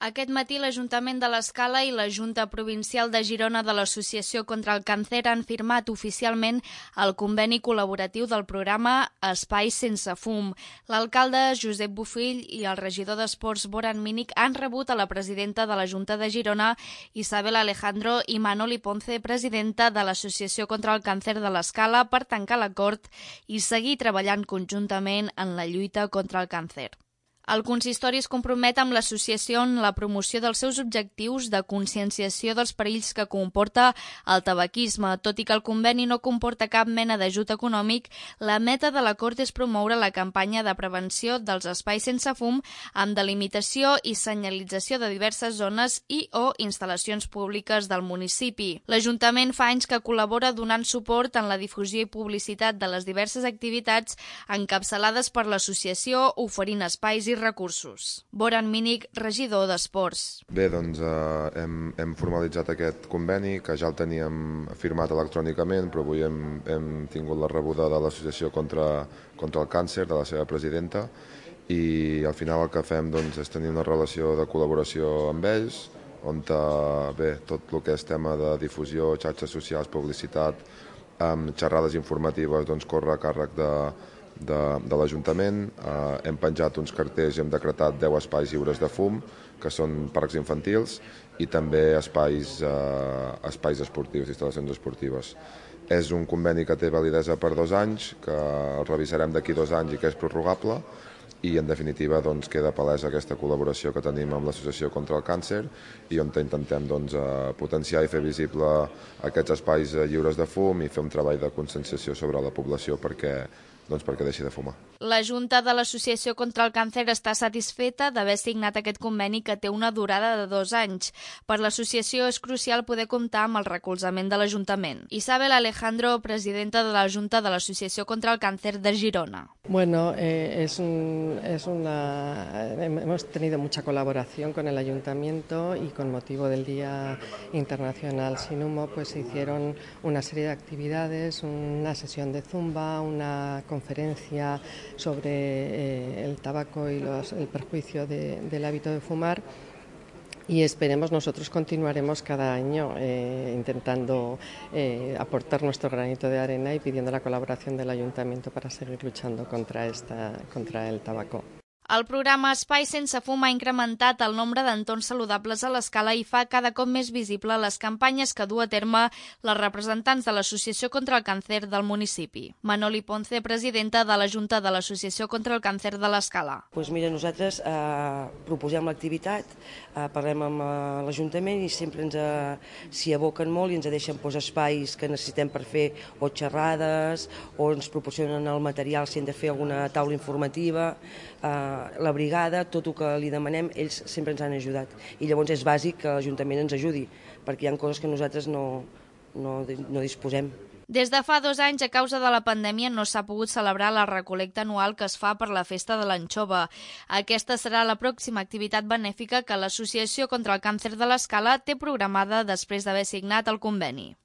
Aquest matí l'Ajuntament de l'Escala i la Junta Provincial de Girona de l'Associació contra el Càncer han firmat oficialment el conveni col·laboratiu del programa Espais sense fum. L'alcalde Josep Bofill i el regidor d'Esports Boran Mínic han rebut a la presidenta de la Junta de Girona, Isabel Alejandro, i Manoli Ponce, presidenta de l'Associació contra el Càncer de l'Escala, per tancar l'acord i seguir treballant conjuntament en la lluita contra el càncer. El consistori es compromet amb l'associació en la promoció dels seus objectius de conscienciació dels perills que comporta el tabaquisme. Tot i que el conveni no comporta cap mena d'ajut econòmic, la meta de l'acord és promoure la campanya de prevenció dels espais sense fum amb delimitació i senyalització de diverses zones i o instal·lacions públiques del municipi. L'Ajuntament fa anys que col·labora donant suport en la difusió i publicitat de les diverses activitats encapçalades per l'associació, oferint espais i recursos. Boran Mínic, regidor d'Esports. Bé, doncs hem formalitzat aquest conveni, que ja el teníem firmat electrònicament, però avui hem tingut la rebuda de l'Associació contra el Càncer, de la seva presidenta, i al final el que fem doncs, és tenir una relació de col·laboració amb ells, on tot el que és tema de difusió, xarxes socials, publicitat, xerrades informatives, doncs, corre a càrrec de l'Ajuntament. Hem penjat uns cartells i hem decretat 10 espais lliures de fum, que són parcs infantils, i també espais esportius, instal·lacions esportives. És un conveni que té validesa per 2 anys, que el revisarem d'aquí 2 anys i que és prorrogable, i en definitiva doncs, queda palesa aquesta col·laboració que tenim amb l'Associació contra el Càncer i on intentem potenciar i fer visible aquests espais lliures de fum i fer un treball de conscienciació sobre la població perquè deixi de fumar. La Junta de l'Associació contra el Càncer està satisfeta d'haver signat aquest conveni que té una durada de 2 anys. Per l'associació és crucial poder comptar amb el recolzament de l'Ajuntament. Isabel Alejandro, presidenta de la Junta de l'Associació contra el Càncer de Girona. Bueno, hemos tenido mucha colaboración con el Ayuntamiento y con motivo del Día Internacional Sin Humo pues se hicieron una serie de actividades, una sesión de zumba, una conferencia sobre el tabaco y el perjuicio del hábito de fumar. Y nosotros continuaremos cada año intentando aportar nuestro granito de arena y pidiendo la colaboración del Ayuntamiento para seguir luchando contra el tabaco. El programa Espai sense fum ha incrementat el nombre d'entorns saludables a l'Escala i fa cada cop més visible les campanyes que du a terme les representants de l'Associació contra el Càncer del municipi. Manoli Ponce, presidenta de la Junta de l'Associació contra el Càncer de l'Escala. Doncs mira, nosaltres proposem l'activitat, parlem amb l'Ajuntament i sempre s'hi aboquen molt i ens deixen espais que necessitem per fer o xerrades o ens proporcionen el material si hem de fer alguna taula informativa. La brigada, tot el que li demanem, ells sempre ens han ajudat. I llavors és bàsic que l'Ajuntament ens ajudi, perquè hi ha coses que nosaltres no disposem. Des de fa 2 anys, a causa de la pandèmia, no s'ha pogut celebrar la recol·lecta anual que es fa per la festa de l'anxova. Aquesta serà la pròxima activitat benèfica que l'Associació contra el Càncer de l'Escala té programada després d'haver signat el conveni.